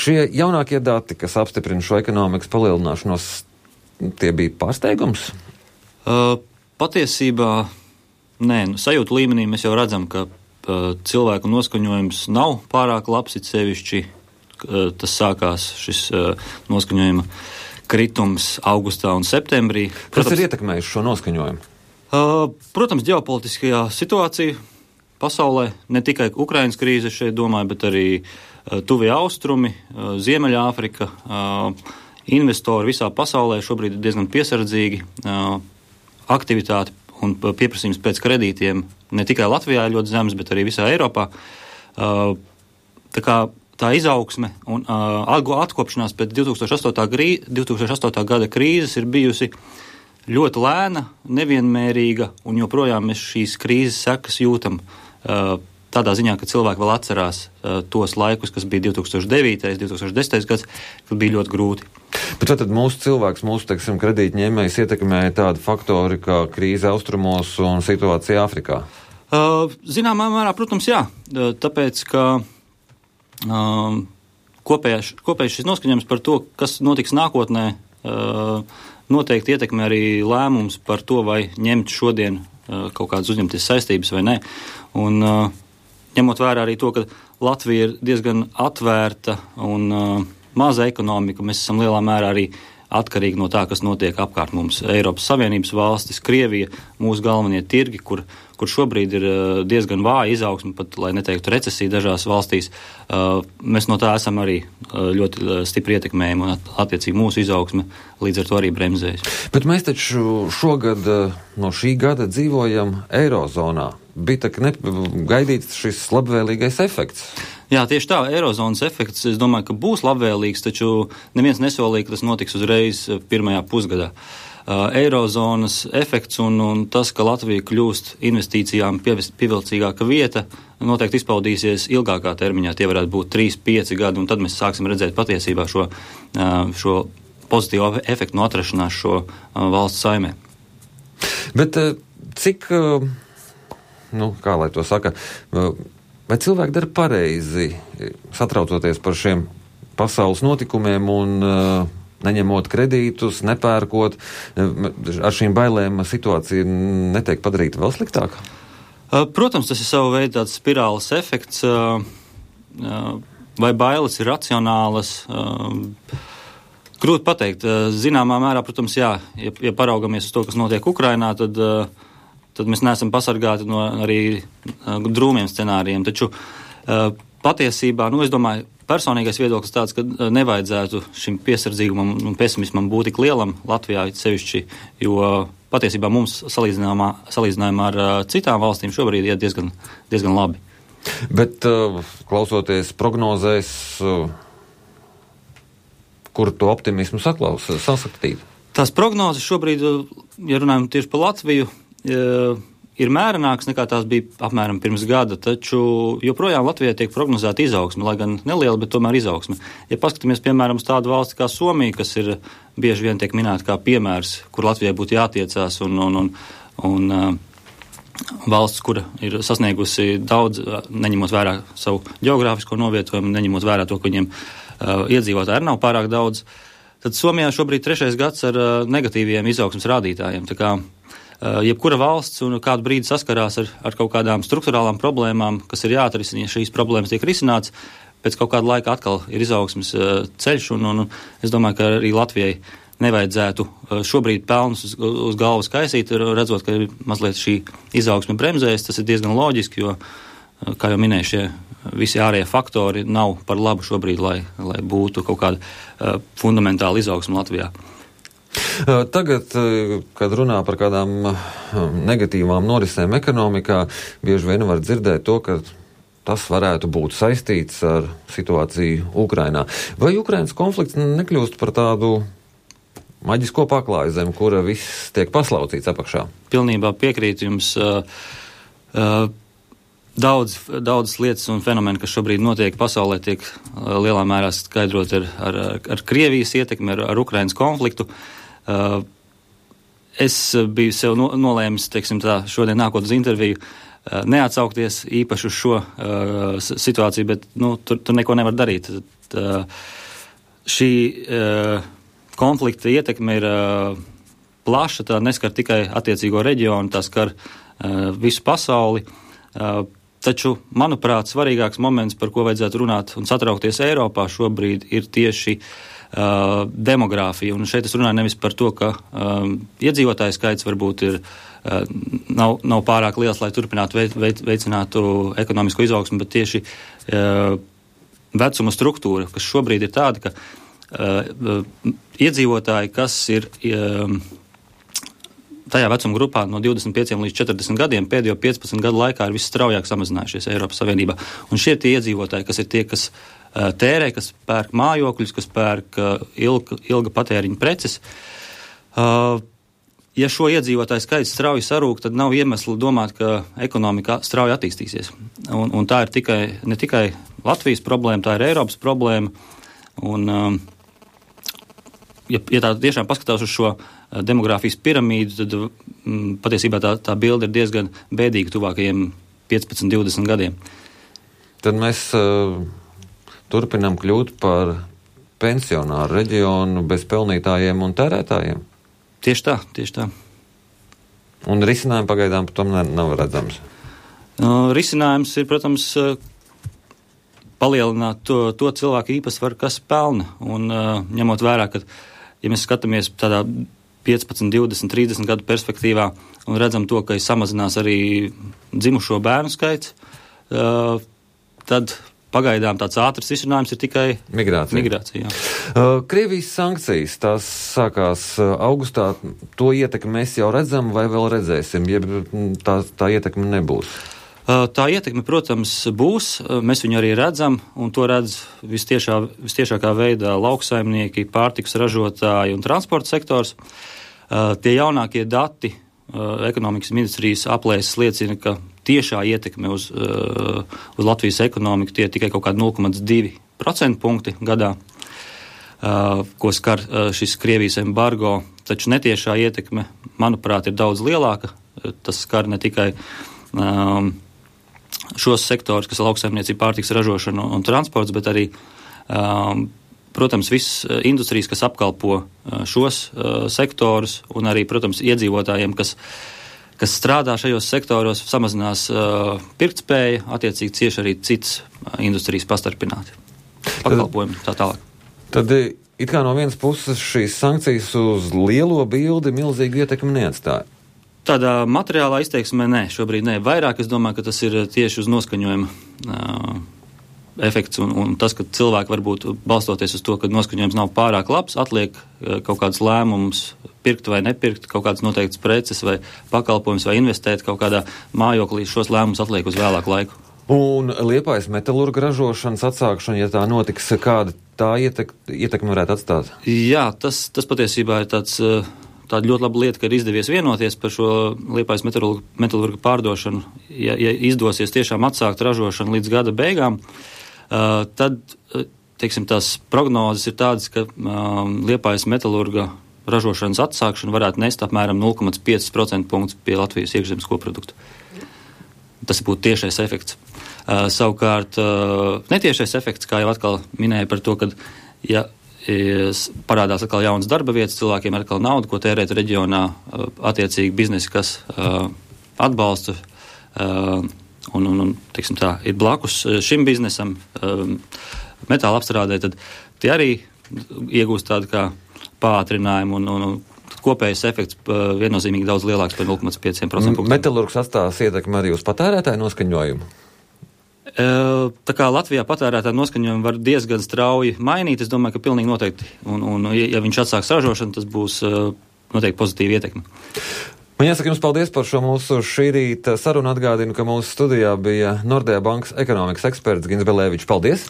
Šie jaunākie dati, kas apstiprina šo ekonomikas palielināšanos, tie bija pārsteigums? Patiesībā, nē, sajūtu līmenī mēs jau redzam, ka cilvēku noskaņojums nav pārāk labs, it sevišķi tas sākās šis noskaņojuma kritums augustā un septembrī. Kas ir ietekmējis šo noskaņojumu? Protams, ģeopolitiskajā situācija pasaulē, ne tikai Ukrainas krīze šeit domāju, bet arī tuvie austrumi, Ziemeļāfrika, investori visā pasaulē šobrīd ir diezgan piesardzīgi, aktivitāti un pieprasījums pēc kredītiem ne tikai Latvijā ir ļoti zems, bet arī visā Eiropā. Tā kā tā izaugsme un atkopšanās pēc 2008. Gada krīzes ir bijusi ļoti lēna, nevienmērīga, un joprojām mēs šīs krīzes sekas jūtam tādā ziņā, ka cilvēki vēl atcerās tos laikus, kas bija 2009. 2010. gads, kad bija ļoti grūti. Bet tad mūsu cilvēks, teiksim, kredītņēmējs ietekmēja tādi faktori kā krīze austrumos un situācija Āfrikā? Zināmā mērā, protams, jā. Tāpēc, ka kopējais šis noskaņojums par to, kas notiks nākotnē, noteikti ietekmē arī lēmums par to, vai ņemt šodien kaut kādas uzņemties saistības vai nē. Un ņemot vērā arī to, ka Latvija ir diezgan atvērta un maza ekonomika, mēs esam lielā mērā arī atkarīgi no tā, kas notiek apkārt mums. Eiropas Savienības valstis, Krievija, mūsu galvenie tirgi, kur šobrīd ir diezgan vāja izaugsme, pat, lai neteiktu recesija dažās valstīs, mēs no tā esam arī ļoti stipri ietekmējumi un attiecīgi mūsu izaugsme līdz ar to arī bremzējas. Bet mēs taču šogad no šī gada dzīvojam Eirozonā. Bija tā gaidīts šis labvēlīgais efekts. Jā, tieši tā, Eirozonas efekts, es domāju, ka būs labvēlīgs, taču neviens nesolīja, ka tas notiks uzreiz pirmajā pusgadā. Eirozonas efekts un tas, ka Latvija kļūst investīcijām pievilcīgāka vieta, noteikti izpaudīsies ilgākā termiņā. Tie varētu būt 3-5 gadi, un tad mēs sāksim redzēt patiesībā šo pozitīvo efektu no atrašanās šo valsts saimē. Bet cik, kā lai to saka, vai cilvēki dara pareizi, satraucoties par šiem pasaules notikumiem un neņemot kredītus, nepērkot, ar šīm bailēm situācija netiek padarīta vēl sliktāka? Protams, tas ir savu veidu tāds spirāles efekts. Vai bailes ir racionālas? Grūti pateikt. Zināmā mērā, protams, jā, ja paraugamies uz to, kas notiek Ukrainā, tad mēs neesam pasargāti no arī drūmiem scenārijiem. Taču patiesībā, es domāju, personīgais viedoklis tāds, ka nevajadzētu šim piesardzīgumam un pesimismam būt tik lielam Latvijā sevišķi, jo patiesībā mums salīdzinājumā ar citām valstīm šobrīd iet diezgan labi. Bet klausoties prognozēs, kur to optimismu sasaktīt? Tās prognozes šobrīd, ja runājam tieši par Latviju, ir mērenāks nekā tās bija apmēram pirms gada, taču joprojām Latvijā tiek prognozēta izaugsme, lai gan neliela, bet tomēr izaugsme. Ja paskatāmies, piemēram, uz tādu valsti kā Somija, kas ir bieži vien tiek minēta kā piemērs, kur Latvijai būtu jātiecās un valsts, kura ir sasniegusi daudz, neņemot vērā savu geogrāfisko novietojumu, neņemot vērā to, ka viņiem iedzīvotāji nav pārāk daudz, tad Somijā šobrīd 3. gads ar negatīviem izaugsmes rādītājiem. Tā kā jebkura valsts un kādu brīdi saskarās ar kaut kādām strukturālām problēmām, kas ir jāatrisina, ja šīs problēmas tiek risināts, pēc kaut kāda laika atkal ir izaugsmes ceļš, un es domāju, ka arī Latvijai nevajadzētu šobrīd pelnus uz galvas kaisīt, redzot, ka mazliet šī izaugsme bremzējas. Tas ir diezgan loģiski, jo, kā jau minēju, šie visi ārējie faktori nav par labu šobrīd, lai būtu kaut kāda fundamentāla izaugsme Latvijā. Tagad, kad runā par kādām negatīvām norisēm ekonomikā, bieži vien var dzirdēt to, ka tas varētu būt saistīts ar situāciju Ukrainā. Vai Ukrainas konflikts nekļūst par tādu maģisko paklāju zem, kura viss tiek paslaucīts apakšā? Pilnībā piekrītu jums. Daudzas lietas un fenomeni, kas šobrīd notiek pasaulē, tiek lielā mērā skaidrot ar Krievijas ietekmi, ar Ukrainas konfliktu. Es biju sev nolēmis, šodien nākot uz interviju, neatsaukties īpaši uz šo situāciju, bet tur neko nevar darīt. šī konflikta ietekme ir plaša, tā neskar tikai attiecīgo reģionu, tā skar visu pasauli. Taču, manuprāt, svarīgāks moments, par ko vajadzētu runāt un satraukties Eiropā šobrīd, ir tieši demogrāfija. Un šeit es runāju nevis par to, ka iedzīvotāju skaits varbūt nav pārāk liels, lai turpinātu veicinātu ekonomisko izaugsmu, bet tieši vecuma struktūra, kas šobrīd ir tāda, ka iedzīvotāji, kas ir tajā vecuma grupā no 25 līdz 40 gadiem pēdējo 15 gadu laikā ir visstraujāk samazinājušies Eiropas Savienībā. Un šie tie iedzīvotāji, kas ir tie, kas tērē, kas pērk mājokļus, kas pērk ilga patēriņa preces. Ja šo iedzīvotāju skaits strauji sarūk, tad nav iemesli domāt, ka ekonomika strauji attīstīsies. Un tā ir ne tikai Latvijas problēma, tā ir Eiropas problēma. Un, ja tā tiešām paskatās uz šo demogrāfijas piramīdu, tad patiesībā tā bilde ir diezgan bēdīga tuvākajiem 15-20 gadiem. Tad mēs turpinām kļūt par pensionāru reģionu bez pelnītājiem un tērētājiem? Tieši tā. Un risinājumi pagaidām tomēr nav redzams? Risinājums ir, protams, palielināt to cilvēku īpatsvaru, kas pelna. Un ņemot vērā, ka, ja mēs skatāmies tādā 15, 20, 30 gadu perspektīvā un redzam to, ka samazinās arī dzimušo bērnu skaits, tad pagaidām tāds ātrs risinājums ir tikai migrācija. Krievijas sankcijas, tās sākās augustā, to ietekmi mēs jau redzam vai vēl redzēsim, ja tā ietekme nebūs? Tā ietekme, protams, būs, mēs viņu arī redzam, un to redz vistiešākā veidā lauksaimnieki, pārtikas ražotāji un transporta sektors. Tie jaunākie dati ekonomikas ministrijas aplēses liecina, ka tiešā ietekme uz Latvijas ekonomiku tie tikai kaut kādi 0,2% punkti gadā, ko skar šis Krievijas embargo, taču netiešā ietekme, manuprāt, ir daudz lielāka. Tas skar ne tikai šos sektorus, kas ir lauksaimniecība, pārtikas ražošana un transports, bet arī, protams, visas industrijas, kas apkalpo šos sektorus, un arī, protams, iedzīvotājiem, kas strādā šajos sektoros, samazinās pirktspēja, attiecīgi cieši arī citas industrijas pastarpināti. Pakalpojumi tā tālāk. Tad it kā no vienas puses šīs sankcijas uz lielo bildi milzīgi ietekmi neatstāja. Tādā materiālā izteiksmē nē, šobrīd nē. Vairāk es domāju, ka tas ir tieši uz noskaņojuma efekts un tas, ka cilvēki varbūt balstoties uz to, ka noskaņojums nav pārāk labs, atliek kaut kādus lēmumus pirkt vai nepirkt, kaut kādas noteiktas preces vai pakalpojumus vai investēt kaut kādā mājoklī, šos lēmumus atliek uz vēlāku laiku. Un Liepājas metalurga ražošanas atsākšana, ja tā notiks, kāda tā ietekme varētu atstāt? Jā, tas patiesībā ir tāda ļoti laba lieta, ka ir izdevies vienoties par šo Liepājas metalurga pārdošanu. Ja izdosies tiešām atsākt ražošanu līdz gada beigām, tad, teiksim, tās prognozes ir tādas, ka Liepājas metalurga ražošanas atsākšana varētu nest apmēram 0,5% punktus pie Latvijas iekšzemes koprodukta. Tas būtu tiešais efekts. Savukārt, netiešais efekts, kā jau atkal minēja par to, ka, ja parādās atkal jaunas darba vietas, cilvēkiem ir atkal nauda, ko tērēt reģionā, attiecīgi biznesi, kas atbalsta un teiksim tā, ir blakus šim biznesam, metāla apstrādē, tad tie arī iegūst tādu kā pātrinājumu un kopējais efekts viennozīmīgi daudz lielāks par 0,5%. Metalurgs atstās ietekmi arī uz patērētāju noskaņojumu? Tā kā Latvijā patērētāju noskaņojumu var diezgan strauji mainīt, es domāju, ka pilnīgi noteikti. Un ja viņš atsāks ražošanu, tas būs noteikti pozitīva ietekme. Man jāsaka jums paldies par šo mūsu šī rīta sarunu. Atgādinu, ka mūsu studijā bija Nordea bankas ekonomikas eksperts Gins Belēvičs. Paldies!